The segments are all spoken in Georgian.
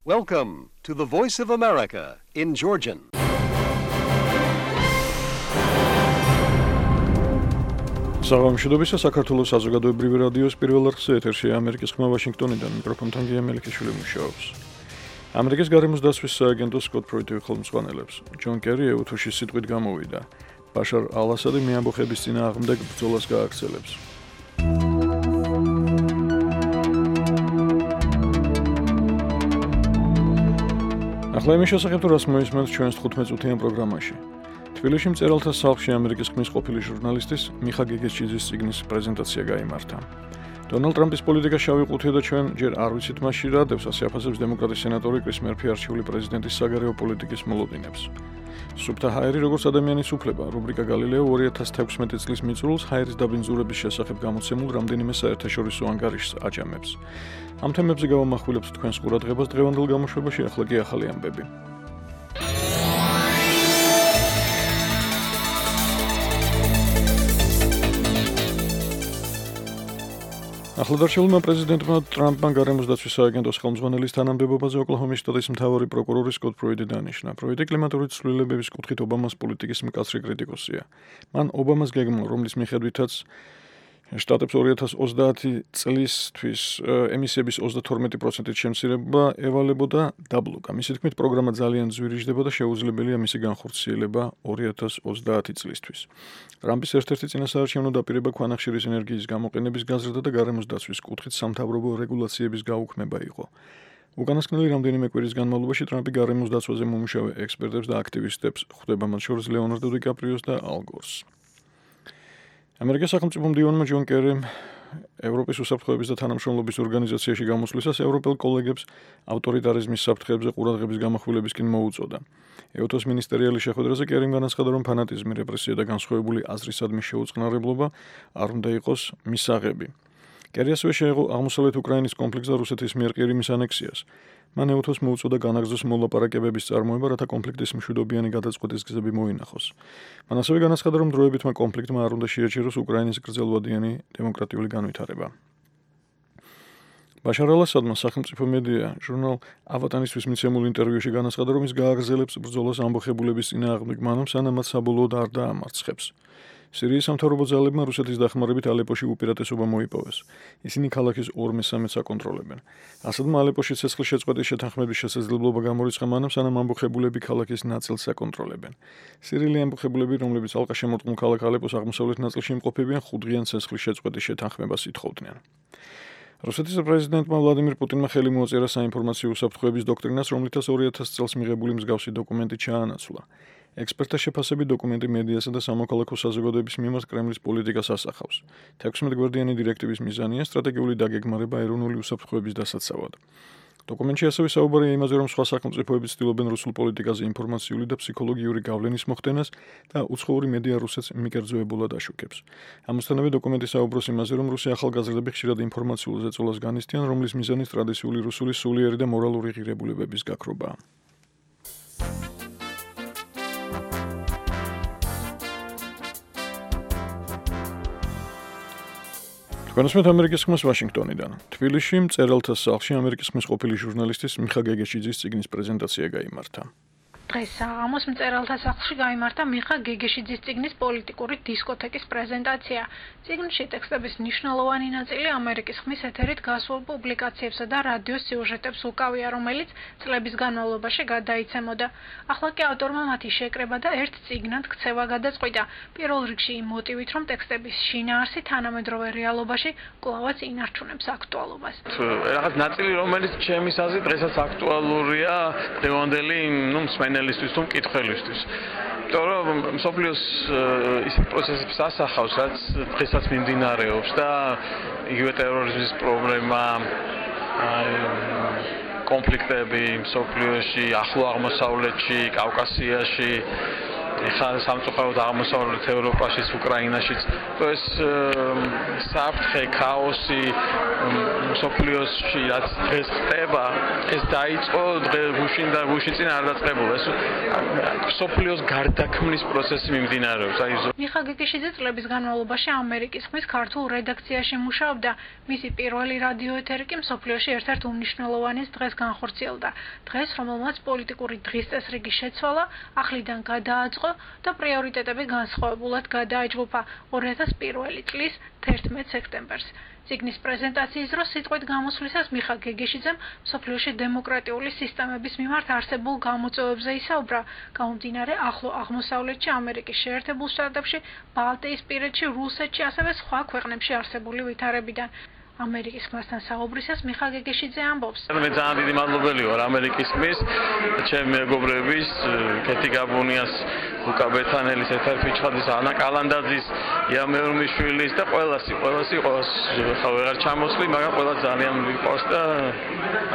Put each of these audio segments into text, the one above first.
Welcome to the Voice of America in Georgian. საღამოშიდობისა საქართველოს საზოგადოებრივი რადიოს პირველ არხზე ეთერშია ამერიკის ხმა ვაშინგტონიდან მიკროფონთან გია მელიქიშვილი მუშაობს. ამერიკის გარემოს დაცვის სააგენტოს სკოტ პროიტი ხელმძღვანელებს ჯონ კერი ეუთოში სიტყვით გამოვიდა. ბაშარ ალ-ასადი მეამბოხების წინააღმდეგ ბრძოლას გააგრძელებს. ახლა იმის შესახებ რას მოისმენთ ჩვენს 15-წუთიან პროგრამაში. თბილისში მწერალთა სახლში ამერიკის ხმის ყოფილი ჟურნალისტის მიხა გეგეჩიძის წიგნის პრეზენტაცია გაიმართა. დონალდ ტრამპის პოლიტიკა შავი ყუთია და ჩვენ ჯერ არ ვიცით მასში რა დევს ასე აფასებს დემოკრატის სენატორი კრის მერფი არჩეული პრეზიდენტის საგარეო პოლიტიკის მოლოდინებს. სუფთა ჰაერი როგორც ადამიანის უფლება, რუბრიკა გალილეო 2016 წლის მიწურულს ჰაერის დაბინძურების შესახებ გამოცემულ რამდენიმე საერთაშორისო ანგარიშს აჯამებს. ამ თემებზე გავამახვილებთ თქვენს ყურადღებას დღევანდელ გამოშვებაში, ახლა კი ახალი ამბები. ახლადარჩეულმა პრეზიდენტმა ტრამპმა გარემოს დაცვის სააგენტოს ხელმძღვანელის თანამდებობაზე ოკლაჰომის შტატის მთავარი პროკურორი სკოტ პროიტი დანიშნა. პროიტი კლიმატური ცვლილებების კუთხით ობამას პოლიტიკის მკაცრი კრიტიკოსია. მან ობამას გეგმა, რომლის მიხედვითაც შტატებს 2030 წლისთვის ემისიების 32%-ით შემცირება ევალებოდა დაბლოკა. მისი თქმით, პროგრამა ძალიან ძვირიჟდება და შეუძლებელია მისი განხორციელება 2030 წლისთვის. ტრამპის ერთ-ერთი წინასაარჩევნო დაპირება ქვანახშირის ენერგიის გამოყენების გაზრდა და გარემოს დაცვის კუთხით სამთავრობო რეგულაციების გაუქმება იყო. უკანასკნელი რამდენიმე კვირის განმავლობაში ტრამპი გარემოს დაცვაზე მომუშავე ექსპერტებს და აქტივისტებს ხვდება, მათ შორის ლეონარდო დიკაპრიოს და ალ გორს. ამერიკის სახელმწიფო მდივანმა ჯონ კერიმ ევროპის უსაფრთხოების და თანამშრომლობის ორგანიზაციაში გამოსვლისას ევროპელ კოლეგებს ავტორიტარიზმის საფრთხეებზე ყურადღების გამახვილებისკენ მოუწოდა. ეუთოს მინისტერიალის შეხვედრაზე კერიმ განაცხადა, რომ ფანატიზმი, რეპრესია და განსხვავებული აზრისადმი შეუწყნარებლობა არ უნდა იყოს მისაღები. კერი ასევე შეეღო აღმოსავლეთ უკრაინის კონფლიქტს და რუსეთის მიერ ყირიმის ანექსიას. მან ეუთოს მოუწოდა განაგრძოს მოლაპარაკებების წარმოება, რათა კონფლიქტის მშვიდობიანი გადაწყვეტის გზები მოინახოს. მან ასევე განაცხადა, რომ დროებითმა კონფლიქტმა არ უნდა შეაჩეროს უკრაინის გრძელვადიანი დემოკრატიული განვითარება. ბაშარ ალ-ასადმა სახელმწიფო მედია ჟურნალ ავატანისთვის მიცემულ ინტერვიუში განაცხადა, რომ ის გააგრძელებს ბრძოლას ამბოხებულების წინააღმდეგ მანამ, სანამ მათ საბოლოოდ არ დაამარცხებს. სირიის სამთავრობო ძალებმა რუსეთის დახმარებით ალეპოში უპირატესობა მოიპოვეს. ისინი ქალაქის 2/3-ს აკონტროლებენ. ასადმა ალეპოში ცეცხლის შეწყვეტის შეთანხმების შესაძლებლობა გამორიცხა მანამ, სანამ ამბოხებულები ქალაქის ნაწილს აკონტროლებენ. სირიელი ამბოხებულები, რომლებიც ალყაშემორტყმულ ქალაქ ალეპოს აღმოსავლეთ ნაწილში იმყოფებიან, 5-დღიან ცეცხლის შეწყვეტის შეთანხმებას ითხოვდნენ. რუსეთის პრეზიდენტმა ვლადიმირ პუტინმა ხელი მოაწერა საინფორმაციო უსაფრთხოების დოქტრინას, რომლითაც 2000 წელს მიღებული მსგავსი დოკუმენტი ჩაანაცვლა. ექსპერტთა შეფასებით დოკუმენტი მედიასა და სამოქალაქო საზოგადოების მიმართ კრემლის პოლიტიკას ასახავს. 16 გვერდიანი დირექტივის მიზანია სტრატეგიული დაგეგმარება ეროვნული უსაფრთხოების დასაცავად. დოკუმენტში ასევე საუბარია იმაზე, რომ სხვა სახელმწიფოები ცდილობენ რუსულ პოლიტიკაზე ინფორმაციული და ფსიქოლოგიური გავლენის მოხდენას და უცხოური მედია რუსეთს მიკერძოებულად აშუქებს. ამასთანავე დოკუმენტი საუბრობს იმაზე, რომ რუსი ახალგაზრდები ხშირად ინფორმაციულ ზეწოლას განიცდიან, რომლის მიზანი ტრადიციული რუსული სულიერი და მორალური ღირებულებების გაქრობაა. თქვენსმეთ ამერიკის ხმას ვაშინგტონიდან. თბილისში მწერალთა სახლში ამერიკის ხმის ყოფილი ჟურნალისტის მიხა გეგეჩიძის წიგნის პრეზენტაცია გაიმართა. დღეს საღამოს მწერალთა სახლში გაიმართა მიხა გეგეჩიძის წიგნის პოლიტიკური დისკოთეკის პრეზენტაცია. წიგნში ტექსტების მნიშვნელოვანი ნაწილი ამერიკის ხმის ეთერით გასულ პუბლიკაციებსა და რადიოს სიუჟეტებს უკავია, რომელიც წლების განმავლობაში გადაიცემოდა. ახლა კი ავტორმა მათი შეკრება და ერთ წიგნად ქცევა გადაწყვიტა. პირველ რიგში იმ მოტივით, რომ ტექსტების შინაარსი თანამედროვე რეალობაში კვლავაც ინარჩუნებს აქტუალობას. რაღაც ნაწილი, რომელიც ჩემის აზრით დღესაც აქტუალურია დღევანდელი მსმენელისთვის თუ მკითხველისთვის. იმიტომ რომ მსოფლიოს ისეთ პროცესებს ასახავს, რაც დღესაც მიმდინარეობს და იგივე ტერორიზმის პრობლემა, კონფლიქტები მსოფლიოში, ახლო აღმოსავლეთში, კავკასიაში, ეხლა სამწუხაროდ აღმოსავლეთ ევროპაშიც, უკრაინაშიც, ეს საფრთხე, ქაოსი მსოფლიოში რაც დღეს ხდება, ეს დაიწყო გუშინ და გუშინ წინ არ დაწყებულა. ეს სოფლიოს გარდაქმნის პროცესი მიმდინარეობს. მიხა გეგეშიძე წლების განმავლობაში ამერიკის ხმის ქართულ რედაქციაში მუშაობდა. მისი პირველი რადიო ეთერი კი მსოფლიოში ერთ-ერთ უმნიშვნელოვანეს დღეს განხორციელდა. დღეს, რომელმაც პოლიტიკური დღის წესრიგი შეცვალა, ახლიდან გადააწყო და პრიორიტეტები განსხვავებულად გადააჯგუფა 2001 წლის 11 სექტემბერს. ციგნის პრეზენტაციის დროს სიტყვით გამოსვლისას მიხა გეგეშიძემ მსოფლიოში დემოკრატიული სისტემების მიმართ არსებულ გამოწვევებზე ისაუბრა, გამომდინარე ახლო აღმოსავლეთში, ამერიკის შეერთებულ შტატებში, ბალტიისპირეთში, რუსეთში, ასევე სხვა ქვეყნებში არსებული ვითარებიდან. ამერიკის ხმასთან საუბრისას მიხა გეგეშიძე ამბობს: მე ძალიან დიდი მადლობელი ვარ ამერიკის ხმის, ჩემი მეგობრების, კეთი გაბუნიას, ლუკა ბეთანელის, ეთერ ფიჩხაძის, ანა კალანდაძის, იამეორმიშვილის და ყველას ხა ვეღარ ჩამოსვლი, მაგრამ ყველა ძალიან მიყვარს და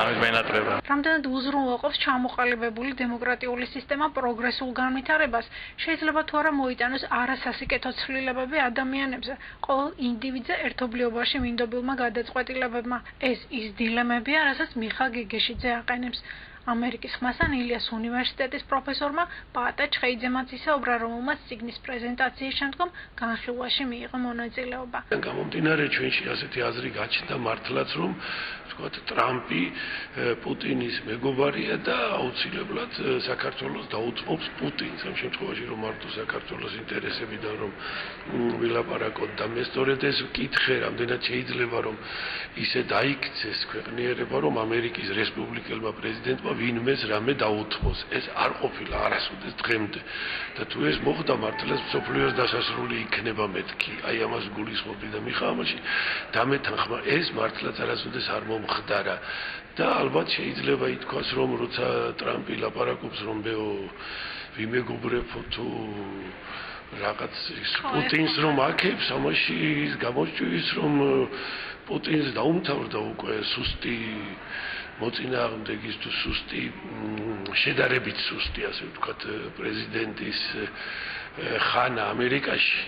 ამის მენატრება. რამდენად უზრუნველყოფს ჩამოყალიბებული დემოკრატიული სისტემა პროგრესულ განვითარებას, შეიძლება თუ არა მოიტანოს არასასიკეთო ცვლილებები ადამიანებზე, ყოველ ინდივიდზე ერთობლიობაში მინდობილმა გადაწყვეტილებებმა. ეს ის დილემებია, რასაც მიხა გეგეშიძე აყენებს. ამერიკის ხმასთან ილიას უნივერსიტეტის პროფესორმა პაატა ჩხეიძემაც ისაუბრა, რომელმაც ციგნის პრეზენტაციის შემდგომ განხილვაში მიიღო მონაწილეობა. გამომდინარე ჩვენში ასეთი აზრი გაჩნდა მართლაც, რომ ვთქვათ, ტრამპი პუტინის მეგობარია და აუცილებლად საქართველოს დაუწყობს პუტინს. ამ შემთხვევაში რომ მარტო საქართველოს ინტერესებიდან რომ ვილაპარაკოთ და მე სწორედ ეს ვკითხე, რამდენად შეიძლება რომ ისე დაიქცეს ქვეყნიერება, რომ ამერიკის რესპუბლიკელმა პრეზიდენტმა ვინმეს რამე დაუთმოს. ეს არ ყოფილა არასოდეს დღემდე. და თუ ეს მოხდა, მართლაც მსოფლიოს დასასრული იქნება მეთქი. აი ამას გულისხმობდი და მიხა ამაში დამეთანხმა, ეს მართლაც არასოდეს არ მომხდარა. და ალბათ შეიძლება ითქვას, რომ როცა ტრამპი ლაპარაკობს, რომ ვიმეგობრებო თუ რაღაც პუტინს რომ აქებს, ამაში ის გამოსჭვის, რომ პუტინს დაუმთავრდა უკვე სუსტი მოწინააღმდეგის თუ სუსტი შედარებით სუსტი, ასე ვთქვათ, პრეზიდენტის ხანა ამერიკაში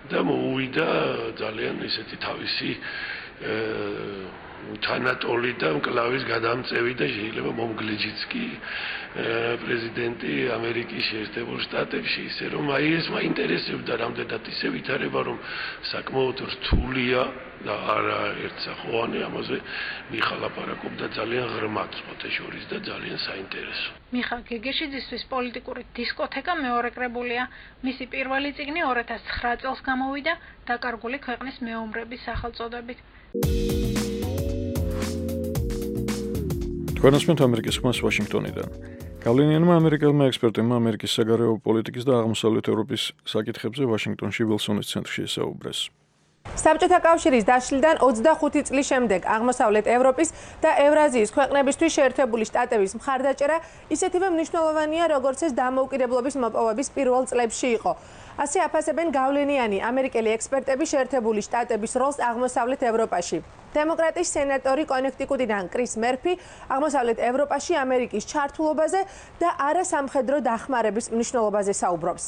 და მოუვიდა ძალიან ისეთი თავისი თანატოლი და მკლავის გადამწევი და შეიძლება მომგლეჯიც კი პრეზიდენტი ამერიკის შეერთებულ შტატებში, ისე რომ აი ეს მაინტერესებდა რამდენად ისე ვითარება, რომ საკმაოდ რთულია და არა ერთსახოვანი, ამაზე მიხა ლაპარაკობდა ძალიან ღრმად სხვათა შორის და ძალიან საინტერესო. მიხა გეგეშიძისთვის პოლიტიკური დისკოთეკა მეორე კრებულია. მისი პირველი წიგნი 2009 წელს გამოვიდა დაკარგული ქვეყნის მეომრების სახელწოდებით. თქვენასმენთ ამერიკის ხმას ვაშინგტონიდან. გავლენიანმა ამერიკელმა ექსპერტებმა ამერიკის საგარეო პოლიტიკის და აღმოსავლეთ ევროპის საკითხებზე ვაშინგტონში ვილსონის ცენტრში ესაუბრეს. საბჭოთა კავშირის დაშლიდან 25 წლის შემდეგ აღმოსავლეთ ევროპის და ევრაზიის ქვეყნებისთვის შეერთებული შტატების მხარდაჭერა ისეთივე მნიშვნელოვანია, როგორც ეს დამოუკიდებლობის მოპოვების პირველ წლებში იყო. ასე აფასებენ გავლენიანი ამერიკელი ექსპერტები შეერთებული შტატების როლს აღმოსავლეთ ევროპაში. დემოკრატიის სენატორი კონექტიკუტიდან კრის მერფი აღმოსავლეთ ევროპაში ამერიკის ჩართულობაზე და არასამხედრო დახმარების მნიშვნელობაზე საუბრობს.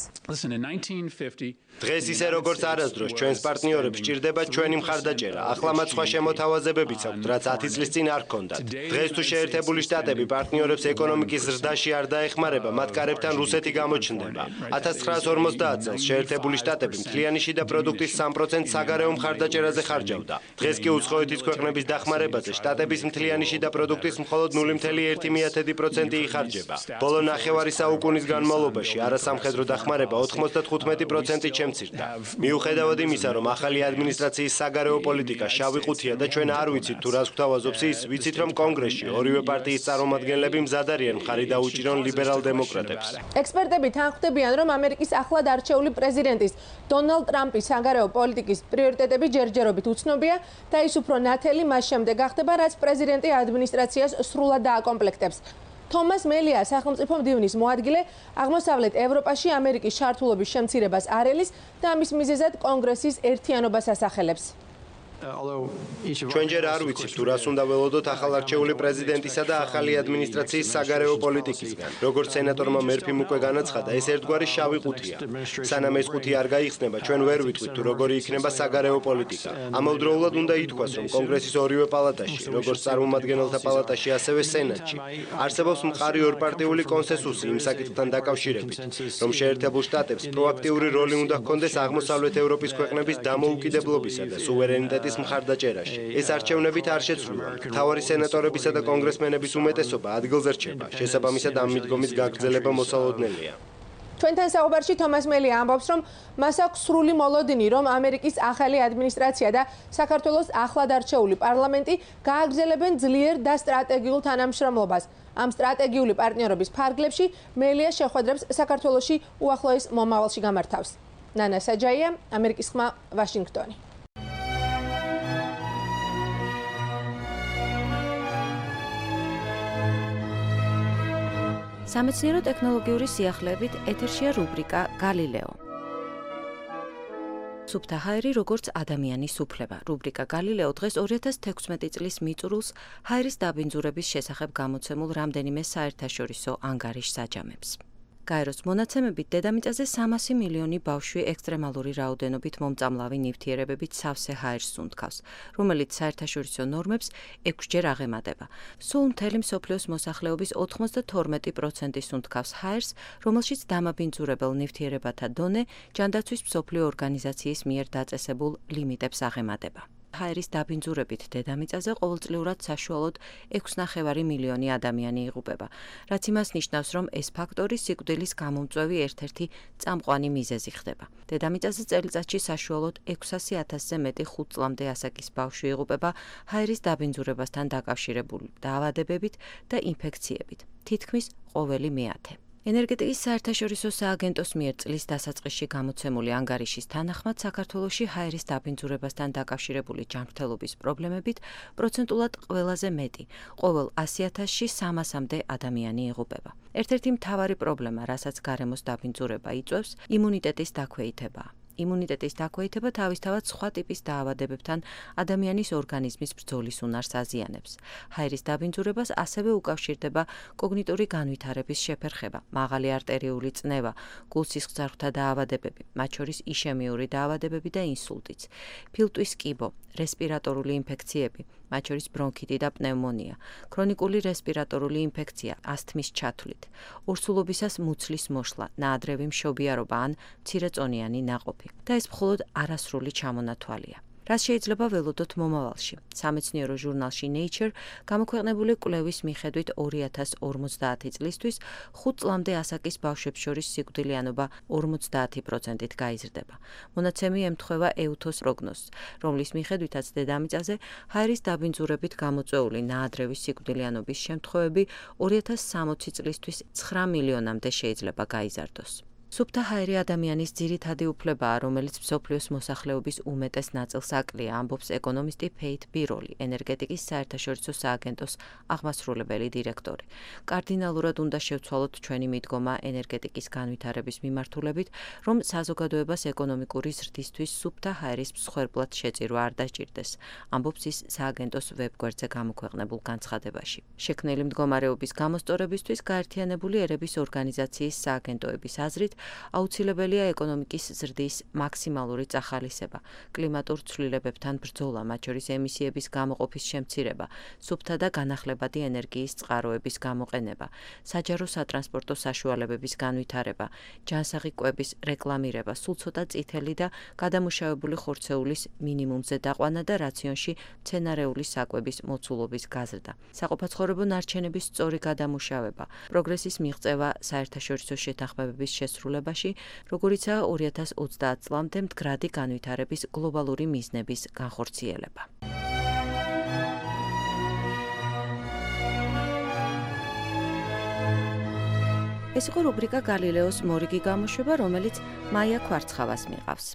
დღეს ისე როგორც არასდროს ჩვენს პარტნიორებს სჭირდება ჩვენი მხარდაჭერა. ახლა მათ სხვა შემოთავაზებებიც აქვთ, რაც 10 წლის წინ არ ჰქონდათ. დღეს თუ შეერთებული შტატები პარტნიორებს ეკონომიკის ზრდაში არ დაეხმარება, მათ კარებთან რუსეთი გამოჩნდება. 1950 წელს შეერთებული შტატები მთლიანი შიდა პროდუქტის 3% საგარეო მხარდაჭერაზე ხარჯავდა. დღეს კი უცხოეთის ქვეყნების დახმარებაზე შტატების მთლიანი შიდა პროდუქტის მხოლოდ 0.1% იხარჯება. ბოლო ნახევარი საუკუნის განმავლობაში არასამხედრო დახმარება 95%-ით შემცირდა. მიუხედავად იმისა, რომ ახალი ადმინისტრაციის საგარეო პოლიტიკა შავი ყუთია და ჩვენ არ ვიცით თუ რას გვთავაზობს ის, ვიცით რომ კონგრესში ორივე პარტიის წარმომადგენლები მზად არიან მხარი დაუჭირონ ლიბერალ დემოკრატებს. ექსპერტები თანხმდებიან, რომ ამერიკის ახლად არჩეული პრეზიდენტის დონალდ ტრამპის საგარეო პოლიტიკის პრიორიტეტები ჯერჯერობით უცნობია და ის უფრო ნათელი მას შემდეგ გახდება, რაც პრეზიდენტი ადმინისტრაციას სრულად დააკომპლექტებს. თომას მელია, სახელმწიფო მდივნის მოადგილე, აღმოსავლეთ ევროპაში ამერიკის ჩართულობის შემცირებას არ ელის და ამის მიზეზად კონგრესის ერთიანობას ასახელებს. ჩვენ ჯერ არ ვიცით თუ რას უნდა ველოდოთ ახალარჩეული პრეზიდენტისა და ახალი ადმინისტრაციის საგარეო პოლიტიკისგან. როგორც სენატორმა მერფიმ უკვე განაცხადა, ეს ერთგვარი შავი ყუთია. სანამ ეს ყუთი არ გაიხსნება, ჩვენ ვერ ვიტყვით თუ როგორი იქნება საგარეო პოლიტიკა. ამავდროულად უნდა ითქვას, რომ კონგრესის ორივე პალატაში, როგორც წარმომადგენელთა პალატაში, ასევე სენატში, არსებობს მყარი ორპარტიული კონსენსუსი იმ საკითხთან დაკავშირებით, რომ შეერთებულ შტატებს პროაქტიული როლი უნდა ჰქონდეს აღმოსავლეთ ევროპის ქვეყნების დამოუკიდებლობისა და სუვერენიტეტის მხარდაჭერაში. ეს არჩევნებით არ შეცვლილა. მთავარი სენატორებისა და კონგრესმენების უმეტესობა ადგილზე რჩება. შესაბამისად, ამ მიდგომის გაგრძელება მოსალოდნელია. ჩვენთან საუბარში თომას მელი ამბობს, რომ მას აქვს სრული მოლოდინი, რომ ამერიკის ახალი ადმინისტრაცია და საქართველოს ახლად არჩეული პარლამენტი გააგრძელებენ ძლიერ და სტრატეგიულ თანამშრომლობას. ამ სტრატეგიული პარტნიორობის ფარგლებში მელია შეხვედრებს საქართველოში უახლოეს მომავალში გამართავს. ნანა საჯაია, ამერიკის ხმა, ვაშინგტონი. სამეცნიერო ტექნოლოგიური სიახლეებით ეთერშია რუბრიკა გალილეო. სუფთა ჰაერი როგორც ადამიანის უფლება. რუბრიკა გალილეო დღეს 2016 წლის მიწურულს ჰაერის დაბინძურების შესახებ გამოცემულ რამდენიმე საერთაშორისო ანგარიშს აჯამებს. გაეროს მონაცემებით დედამიწაზე 300 მილიონი ბავშვი ექსტრემალური რაოდენობით მომწამლავი ნივთიერებებით სავსე ჰაერს სუნთქავს, რომელიც საერთაშორისო ნორმებს 6-ჯერ აღემატება. სულ მთელი მსოფლიოს მოსახლეობის 92% სუნთქავს ჰაერს, რომელშიც დამაბინძურებელ ნივთიერებათა დონე ჯანდაცვის მსოფლიო ორგანიზაციის მიერ დაწესებულ ლიმიტებს აღემატება. ჰაერის დაბინძურებით დედამიწაზე ყოველწლიურად საშუალოდ 6,5 მილიონი ადამიანი იღუპება, რაც იმას ნიშნავს, რომ ეს ფაქტორი სიკვდილის გამომწვევი ერთ-ერთი წამყვანი მიზეზი ხდება. დედამიწაზე წელიწადში საშუალოდ 600,000-ზე მეტი 5 წლამდე ასაკის ბავშვი იღუპება ჰაერის დაბინძურებასთან დაკავშირებული დაავადებებით და ინფექციებით, თითქმის ყოველი მეათე. ენერგეტიკის საერთაშორისო სააგენტოს მიერ წლის დასაწყისში გამოცემული ანგარიშის თანახმად საქართველოში ჰაერის დაბინძურებასთან დაკავშირებული ჯანმრთელობის პრობლემებით პროცენტულად ყველაზე მეტი, ყოველ 100,000-ში 300-მდე ადამიანი იღუპება. ერთ-ერთი მთავარი პრობლემა, რასაც გარემოს დაბინძურება იწვევს, იმუნიტეტის დაქვეითებაა. იმუნიტეტის დაქვეითება თავისთავად სხვა ტიპის დაავადებებთან ადამიანის ორგანიზმის ბრძოლის უნარს აზიანებს. ჰაერის დაბინძურებას ასევე უკავშირდება კოგნიტური განვითარების შეფერხება, მაღალი არტერიული წნევა, გულსისხლძარღვთა დაავადებები, მათ შორის იშემიური დაავადებები და ინსულტიც, ფილტვის კიბო, რესპირატორული ინფექციები, მათ შორის ბრონქიტი და პნევმონია, ქრონიკული რესპირატორული ინფექცია, ასთმის ჩათვლით, ორსულობისას მუცლის მოშლა, ნაადრევი მშობიარობა ან მცირეწონიანი ნაყოფი. და ეს მხოლოდ არასრული ჩამონათვალია. რაც შეიძლება ველოდოთ მომავალში. სამეცნიერო ჟურნალში Nature გამოქვეყნებული კვლევის მიხედვით 2050 წლისთვის 5 წლამდე ასაკის ბავშვებს შორის სიკვდილიანობა 50%-ით გაიზრდება. მონაცემი ემთხვევა EUTHOS პროგნოზს, რომლის მიხედვითაც დედამიწაზე ჰაერის დაბინძურებით გამოწვეული ნაადრევის სიკვდილიანობის შემთხვევები 2060 წლისთვის 9 მილიონამდე შეიძლება გაიზარდოს. სუფთა ჰაერი ადამიანის ძირითადი უფლებაა, რომელიც მსოფლიოს მოსახლეობის უმეტეს ნაწილს აკლია, ამბობს ეკონომისტი ფეით ბიროლი, ენერგეტიკის საერთაშორისო სააგენტოს აღმასრულებელი დირექტორი. კარდინალურად უნდა შევცვალოთ ჩვენი მიდგომა ენერგეტიკის განვითარების მიმართულებით, რომ საზოგადოებას ეკონომიკური ზრდისთვის სუფთა ჰაერის მსხვერპლად შეწირვა არ დაჭირდეს, ამბობს ის სააგენტოს ვებგვერდზე გამოქვეყნებულ განცხადებაში. შექმნილი მდგომარეობის გამოსწორებისთვის გაერთიანებული ერების ორგანიზაციის სააგენტოების აზრით აუცილებელია ეკონომიკის ზრდის მაქსიმალური წახალისება, კლიმატურ ცვლილებებთან ბრძოლა, მათ შორის ემისიების გამოყოფის შემცირება, სუფთა და განახლებადი ენერგიის წყაროების გამოყენება, საჯარო სატრანსპორტო საშუალებების განვითარება, ჯანსაღი კვების რეკლამირება, სულ ცოტა წითელი და გადამუშავებული ხორცეულის მინიმუმზე დაყვანა და რაციონში მცენარეული საკვების მოცულობის გაზრდა, საყოფაცხოვრებო ნარჩენების სწორი გადამუშავება, პროგრესის მიღწევა საერთაშორისო შეთანხმებების შესრულებაში, როგორიცაა 2030 წლამდე მდგრადი განვითარების გლობალური მიზნების განხორციელება. ეს იყო რუბრიკა გალილეოს მორიგი გამოშვება, რომელიც მაია ქვარცხავას მიყავს.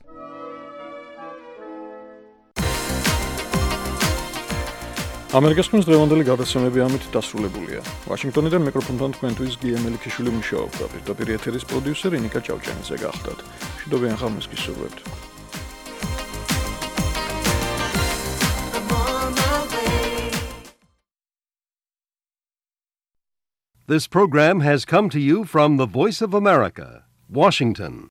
ამერიკის ხმის დღევანდელი გადაცემები ამით დასრულებულია. ვაშინგტონიდან მიკროფონთან თქვენთვის გია მელიქიშვილი მუშაობდა, პირდაპირ ეთერის პროდიუსერი ნიკა ჭავჭანიძე გახდათ. მშვიდობიან ხამას გისურვებთ. This program has come to you from the Voice of America, Washington.